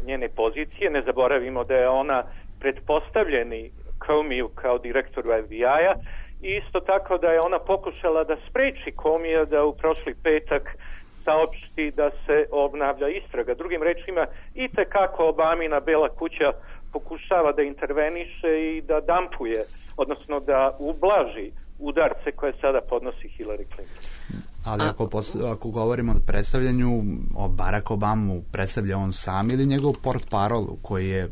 S6: njene pozicije. Ne zaboravimo da je ona pretpostavljeni Comey kao direktoru FBI-a i isto tako da je ona pokušala da spreči Comey da u prošli petak saopšti da se obnavlja istraga. Drugim rečima, itekako Obamina Bela kuća pokušava da interveniše i da dampuje, odnosno da ublaži udarce koje sada podnosi Hillary Clinton.
S5: Ali ako govorimo o predstavljanju, o Barack Obamu, predstavlja on sam ili njegov portparol koji je,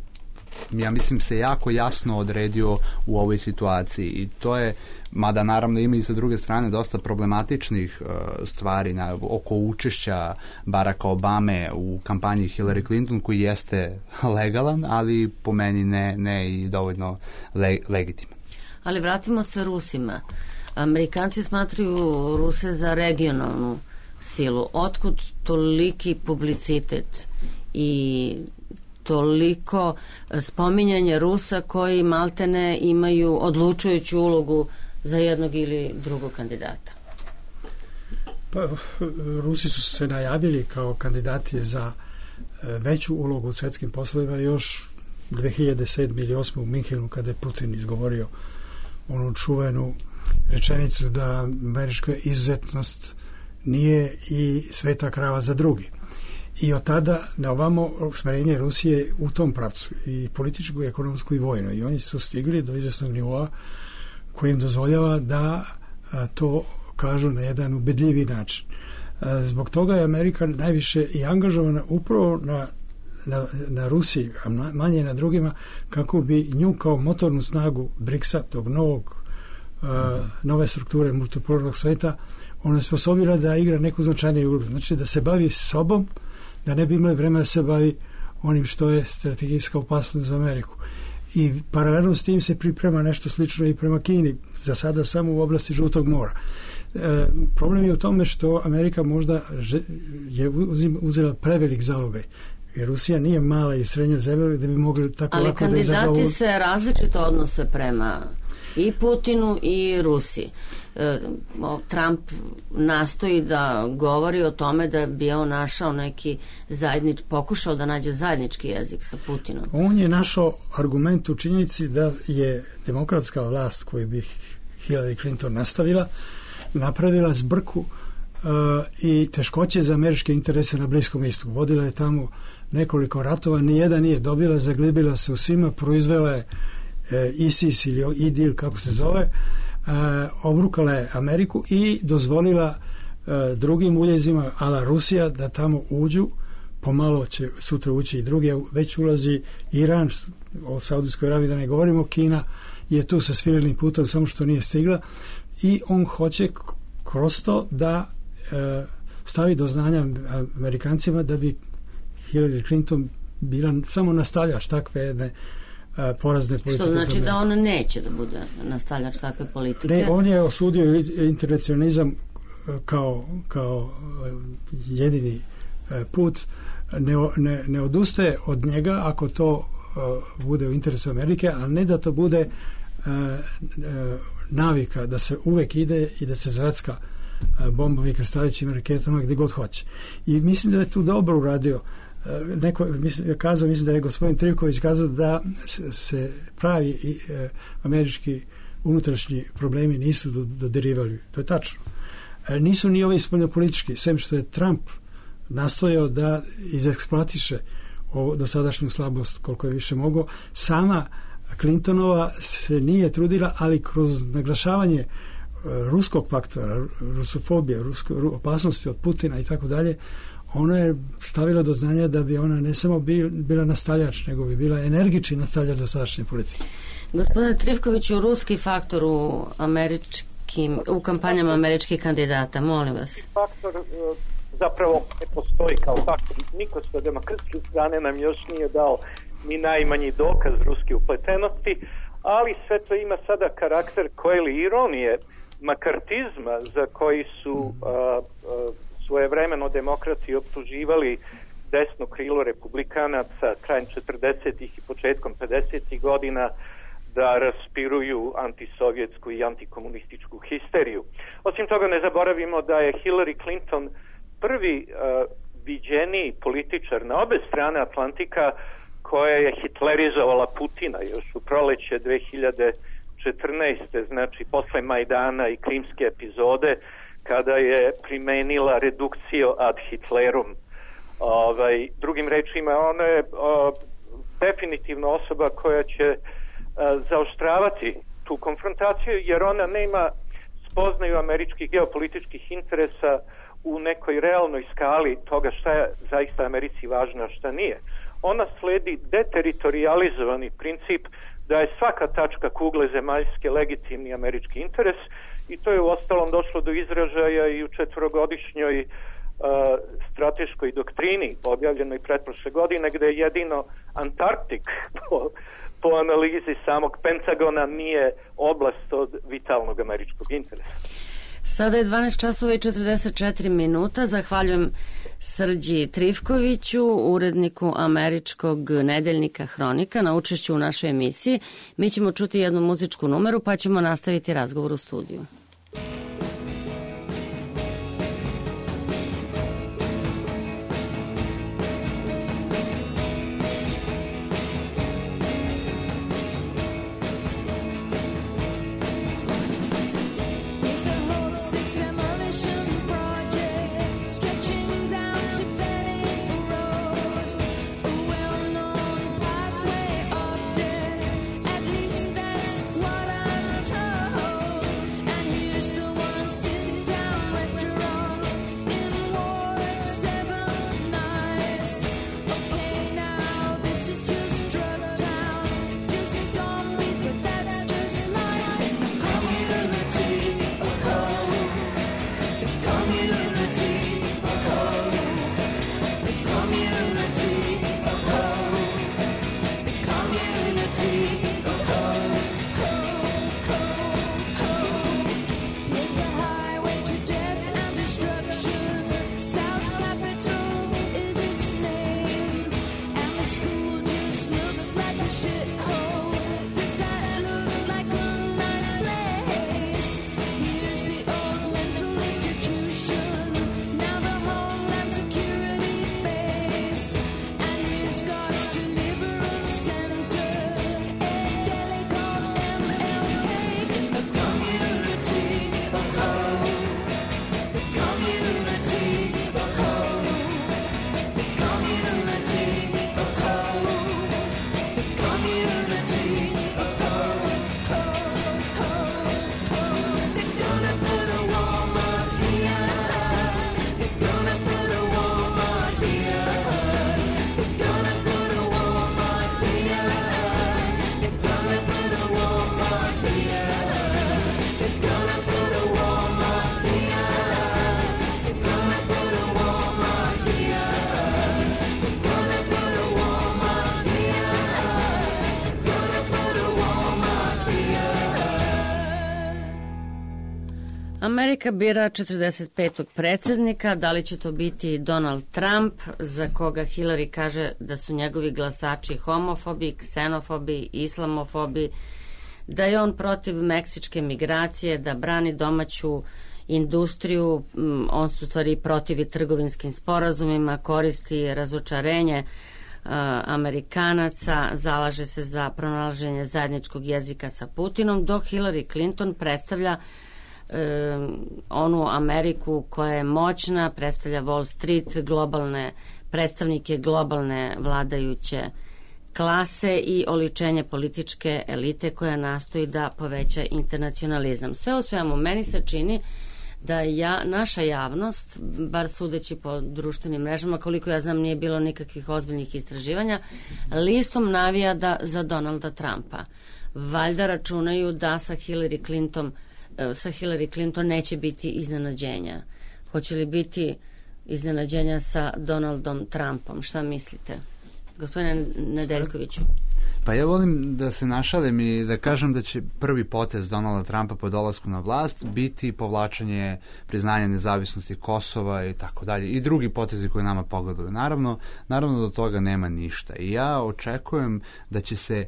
S5: ja mislim, se jako jasno odredio u ovoj situaciji i to je, mada naravno ima i sa druge strane dosta problematičnih stvari oko učešća Baracka Obame u kampanji Hillary Clinton koji jeste legalan, ali po meni ne i dovoljno legitiman.
S4: Ali vratimo se Rusima. Amerikanci smatraju Ruse za regionalnu silu. Otkud toliki publicitet i toliko spominjanja Rusa koji maltene imaju odlučujuću ulogu za jednog ili drugog kandidata?
S7: Pa, Rusi su se najavili kao kandidati za veću ulogu u svetskim poslovima još 2007. ili 2008. u Minhenu kada je Putin izgovorio onu čuvenu rečenicu da američka izuzetnost nije i sveta krava za drugi. I od tada na ovamo usmerenje Rusije u tom pravcu i političku, i ekonomsku i vojno. I oni su stigli do izvesnog nivoa koji im dozvoljava da to kažu na jedan ubedljivi način. Zbog toga je Amerika najviše i angažovana upravo na Rusiji, a manje na drugima, kako bi nju kao motornu snagu BRICS-a, tog nove strukture multipolarnog sveta, ona je sposobila da igra neku značajniju ulogu. Znači da se bavi sobom, da ne bi imali vremena da se bavi onim što je strategijska opasnost za Ameriku. I paralelno s tim se priprema nešto slično i prema Kini, za sada samo u oblasti Žutog mora. Problem je u tome što Amerika možda je uzela prevelik zalogaj, jer Rusija nije mala i srednja zemlja da bi mogli tako
S4: ali
S7: lako da izazovu.
S4: Ali kandidati se različito odnose prema i Putinu i Rusiji. Trump nastoji da govori o tome da bi on našao pokušao da nađe zajednički jezik sa Putinom.
S7: On je našao argument u činjenici da je demokratska vlast koju bi Hillary Clinton napravila zbrku i teškoće za američke interese na Bliskom istoku. Vodila je tamo nekoliko ratova, nijedan nije dobila, zaglibila se u svima, proizvela je ISIS ili IDIL, kako se zove, obrukala je Ameriku i dozvolila drugim uljezima, ala Rusija, da tamo uđu. Pomalo će sutra ući i drugi, već ulazi Iran, o Saudijskoj Arabiji da ne govorimo, Kina je tu sa svirenim putom, samo što nije stigla, i on hoće kroz to da stavi do znanja Amerikancima da bi Hillary Clinton bila samo nastavljač takve jedne porazne politike.
S4: Što znači da on neće da bude nastavljač takve politike?
S7: Ne, on je osudio internacionalizam kao jedini put, ne odustaje od njega ako to bude u interesu Amerike, a ne da to bude navika da se uvek ide i da se zvecka bombom i krstarićim raketama gdje god hoće. I mislim da je tu dobro uradio. Mislim da je gospodin Trivković kazao da se pravi američki unutrašnji problemi nisu dodirivali. To je tačno. Nisu ni ovi spoljnopolitički, sem što je Trump nastojao da izeksploatiše dosadašnju slabost koliko je više mogao. Sama Clintonova se nije trudila, ali kroz naglašavanje ruskog faktora, rusofobije, opasnosti od Putina i tako dalje, ona je stavila do znanja da bi ona ne samo bila nastavljač, nego bi bila energični nastavljač dosadašnje politike.
S4: Gospodine Trivkoviću, ruski faktor u kampanjama američkih kandidata, molim vas.
S6: Faktor zapravo ne postoji kao faktor. Niko sa demokratske strane nam još nije dao ni najmanji dokaz ruske upletenosti, ali sve to ima sada karakter koje ironije makartizma za koji su svojevremeno demokrati optuživali desno krilo republikanaca krajem 40. i početkom 50. godina da raspiruju antisovjetsku i antikomunističku histeriju. Osim toga ne zaboravimo da je Hillary Clinton prvi viđeniji političar na obe strane Atlantika koja je hitlerizovala Putina još u proleće 2014. znači posle Majdana i krimske epizode, kada je primenila redukcio ad Hitlerum. Drugim rečima, ona je definitivno osoba koja će zaoštravati tu konfrontaciju, jer ona nema spoznaju američkih geopolitičkih interesa u nekoj realnoj skali toga šta je zaista Americi važno, a šta nije. Ona sledi deteritorializovani princip da je svaka tačka kugle zemaljske legitimni američki interes, i to je uostalom došlo do izražaja i u 4-godišnjoj strateškoj doktrini objavljenoj pretprošle godine, gde jedino Antarktik po analizi samog Pentagona nije oblast od vitalnog američkog interesa.
S4: Sada je 12 časova i 44 minuta. Zahvaljujem Srđi Trivkoviću, uredniku američkog nedeljnika Hronika, na učešću u našoj emisiji. Mi ćemo čuti jednu muzičku numeru, pa ćemo nastaviti razgovor u studiju.
S11: The one
S4: Amerika bira 45. predsjednika, da li će to biti Donald Trump, za koga Hillary kaže da su njegovi glasači homofobi, ksenofobi, islamofobi, da je on protiv meksičke migracije, da brani domaću industriju, on su stvari protivi trgovinskim sporazumima, koristi razočarenje Amerikanaca, zalaže se za pronalaženje zajedničkog jezika sa Putinom, dok Hillary Clinton predstavlja onu Ameriku koja je moćna, predstavlja Wall Street, globalne predstavnike globalne vladajuće klase i oličenje političke elite koja nastoji da poveća internacionalizam. Sve u svemu, meni se čini da naša javnost, bar sudeći po društvenim mrežama, koliko ja znam nije bilo nikakvih ozbiljnih istraživanja, listom navija za Donalda Trumpa. Valjda računaju da sa Hillary Clinton neće biti iznenađenja. Hoće li biti iznenađenja sa Donaldom Trumpom? Šta mislite? Gospodine Nedeljkoviću.
S5: Pa ja volim da se našalim i da kažem da će prvi potez Donalda Trumpa po dolasku na vlast biti povlačenje priznanja nezavisnosti Kosova i tako dalje. I drugi potezi koji nama pogledaju. Naravno do toga nema ništa. I ja očekujem da će se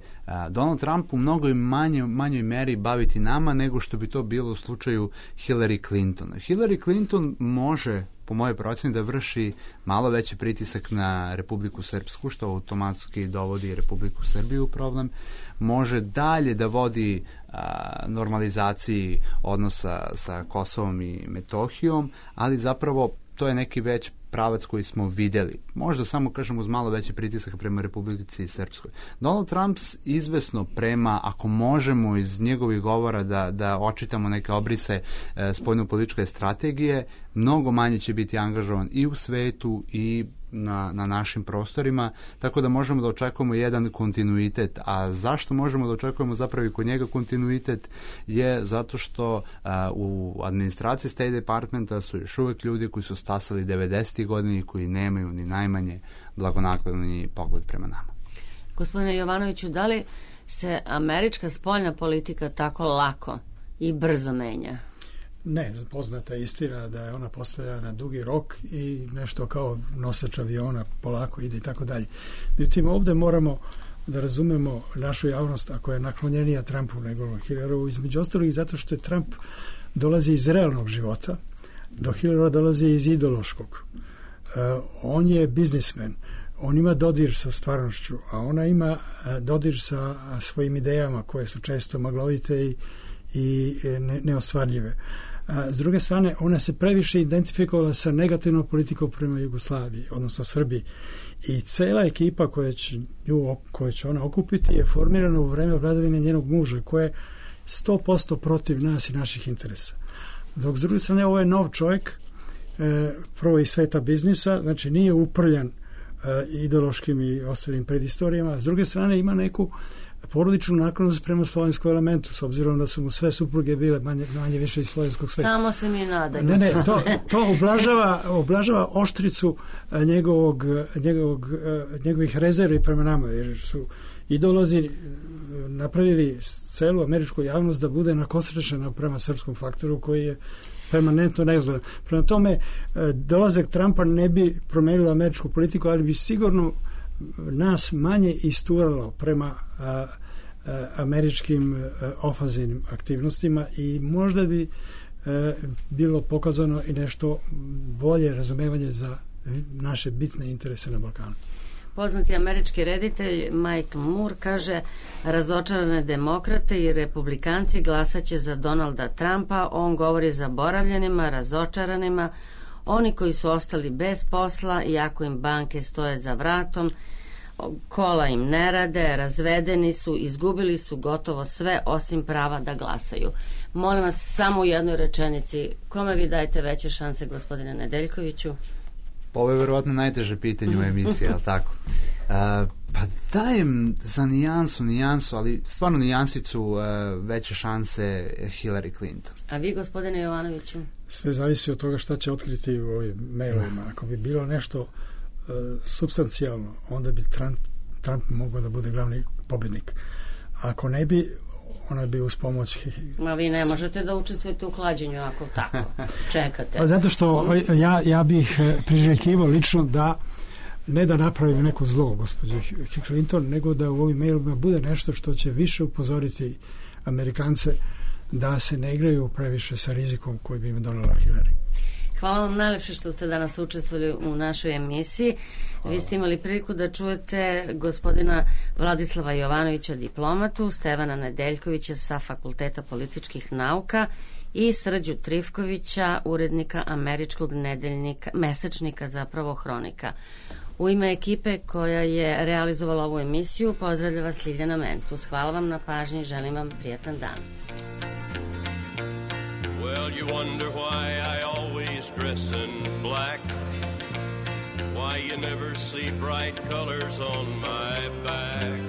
S5: Donald Trump u mnogoj manjoj meri baviti nama nego što bi to bilo u slučaju Hillary Clinton. Hillary Clinton može, po mojoj proceni, da vrši malo veći pritisak na Republiku Srpsku, što automatski dovodi Republiku Srbiju u problem. Može dalje da vodi normalizaciji odnosa sa Kosovom i Metohijom, ali zapravo to je neki već pravac koji smo videli. Možda samo, kažem, uz malo veći pritisak prema Republici Srpskoj. Donald Trump izvesno prema, ako možemo iz njegovih govora da očitamo neke obrise spoljnopolitičke strategije, mnogo manje će biti angažovan i u svetu i na našim prostorima, tako da možemo da očekujemo jedan kontinuitet. A zašto možemo da očekujemo zapravo i kod njega kontinuitet je zato što u administraciji State Departmenta su još uvek ljudi koji su stasali 90. godina i koji nemaju ni najmanje blagonakloni pogled prema nama.
S4: Gospodine Jovanoviću, da li se američka spoljna politika tako lako i brzo menja?
S7: Ne, poznata je istina da je ona postavljena na dugi rok i nešto kao nosač aviona polako ide i tako dalje. Međutim, ovdje moramo da razumemo našu javnost ako je naklonjenija Trumpu nego Hillary, između ostalih zato što je Trump dolazi iz realnog života, dok Hillary dolazi iz ideološkog. On je biznismen, on ima dodir sa stvarnošću, a ona ima dodir sa svojim idejama koje su često maglovite i neostvarljive. S druge strane, ona se previše identifikovala sa negativnom politikom prema Jugoslaviji, odnosno Srbiji. I cela ekipa koju će ona okupiti je formirana u vreme vladavine njenog muža, koja je 100% protiv nas i naših interesa. Dok s druge strane, ovo je nov čovjek, prvo iz sveta biznisa, znači nije uprljan ideološkim i ostalim predistorijama, a s druge strane ima neku porodičnu naklonost prema slovenskom elementu, s obzirom da su mu sve supruge bile manje više iz slovenskog sveta.
S4: Samo se mi nadaju.
S7: Ne, to oblažava oštricu njegovih rezervi prema nama, jer su idolozi napravili celu američku javnost da bude nakosrečena prema srpskom faktoru koji je permanentno neizgledan. Prema tome, dolazak Trumpa ne bi promenilo američku politiku, ali bi sigurno nas manje isturalo prema američkim ofanzivnim aktivnostima i možda bi bilo pokazano i nešto bolje razumevanje za naše bitne interese na Balkanu.
S4: Poznati američki reditelj Michael Moore kaže: razočarane demokrate i republikanci glasaće za Donalda Trumpa. On govori zaboravljenima, razočaranima, oni koji su ostali bez posla, iako im banke stoje za vratom, kola im ne rade, razvedeni su, izgubili su gotovo sve osim prava da glasaju. Molim vas, samo u jednoj rečenici, kome vi dajete veće šanse, gospodine Nedeljkoviću?
S5: Ovo je verovatno najteže pitanje u emisiji, ali tako? Pa dajem za nijansu, ali stvarno nijansicu veće šanse Hillary Clinton.
S4: A vi, gospodine Jovanoviću?
S7: Sve zavisi od toga šta će otkriti u ovim mailovima. Ako bi bilo nešto substancijalno, onda bi Trump mogao da bude glavni pobjednik. Ako ne bi, ona bi uz pomoć...
S4: Ma vi ne možete da učestvujete u klađenju ako tako čekate.
S7: Pa zato što ja bih priželjkivao lično da ne da napravim neko zlo gospođe Clinton, nego da u ovim mailima bude nešto što će više upozoriti Amerikance da se ne igraju previše sa rizikom koji bi im donela Hillary.
S4: Hvala vam najlepše što ste danas učestvovali u našoj emisiji. Vi ste imali priliku da čujete gospodina Vladislava Jovanovića, diplomatu, Stevana Nedeljkovića sa Fakulteta političkih nauka i Srđu Trifkovića, urednika američkog mesečnika, zapravo Hronika. U ime ekipe koja je realizovala ovu emisiju, pozdravlja vas Ljiljana Mentus. Hvala vam na pažnji i želim vam prijatan dan.
S11: Well, you wonder why I always dress in black, why you never see bright colors on my back,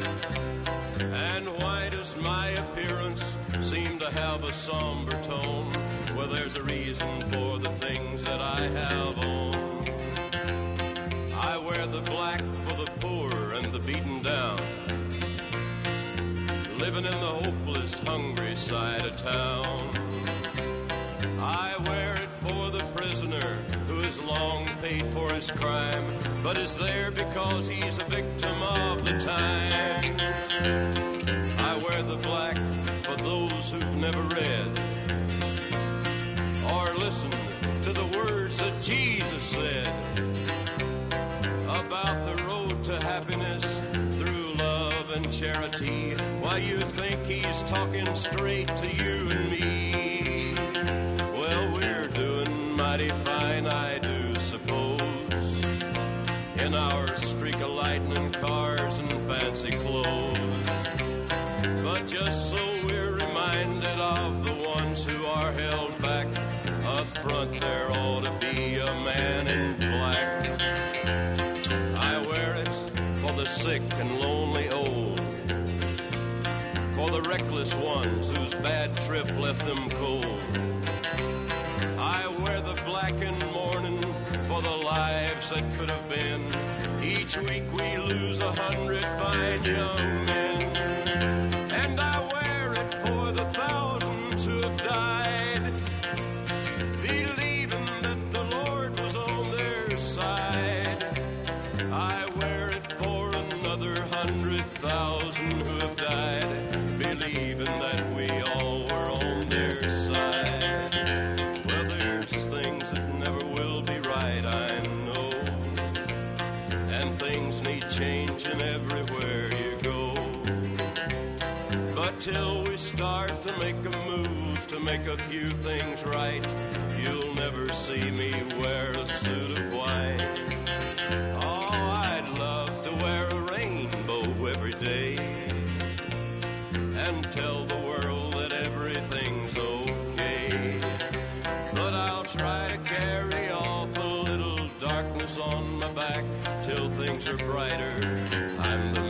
S11: and why does my appearance seem to have a somber tone? Well, there's a reason for the things that I have on. I wear the black for the poor and the beaten down, living in the hopeless, hungry side of town. I wear it for the prisoner who has long paid for his crime, but is there because he's a victim of the time. I wear the black for those who've never read or listened to the words that Jesus said about the road to happiness through love and charity. Why, you think he's talking straight to you and me? Mighty fine, I do suppose, in our streak of lightning cars and fancy clothes. But just so we're reminded of the ones who are held back, up front there ought to be a man in black. I wear it for the sick and lonely old, for the reckless ones whose bad trip left them cold. I wear the black in mourning for the lives that could have been. Each week we lose 100 fine young men. And I wear it for the thousands who have died, believing that the Lord was on their side. I wear it for another 100,000 who have died, believing that we all were on their side. Changing everywhere you go, but till we start to make a move to make a few things right, you'll never see me wear a suit of white. Oh, I'd love to wear a rainbow every day and tell the world that everything's okay, but I'll try to carry off a little darkness on my back till things are brighter. I'm the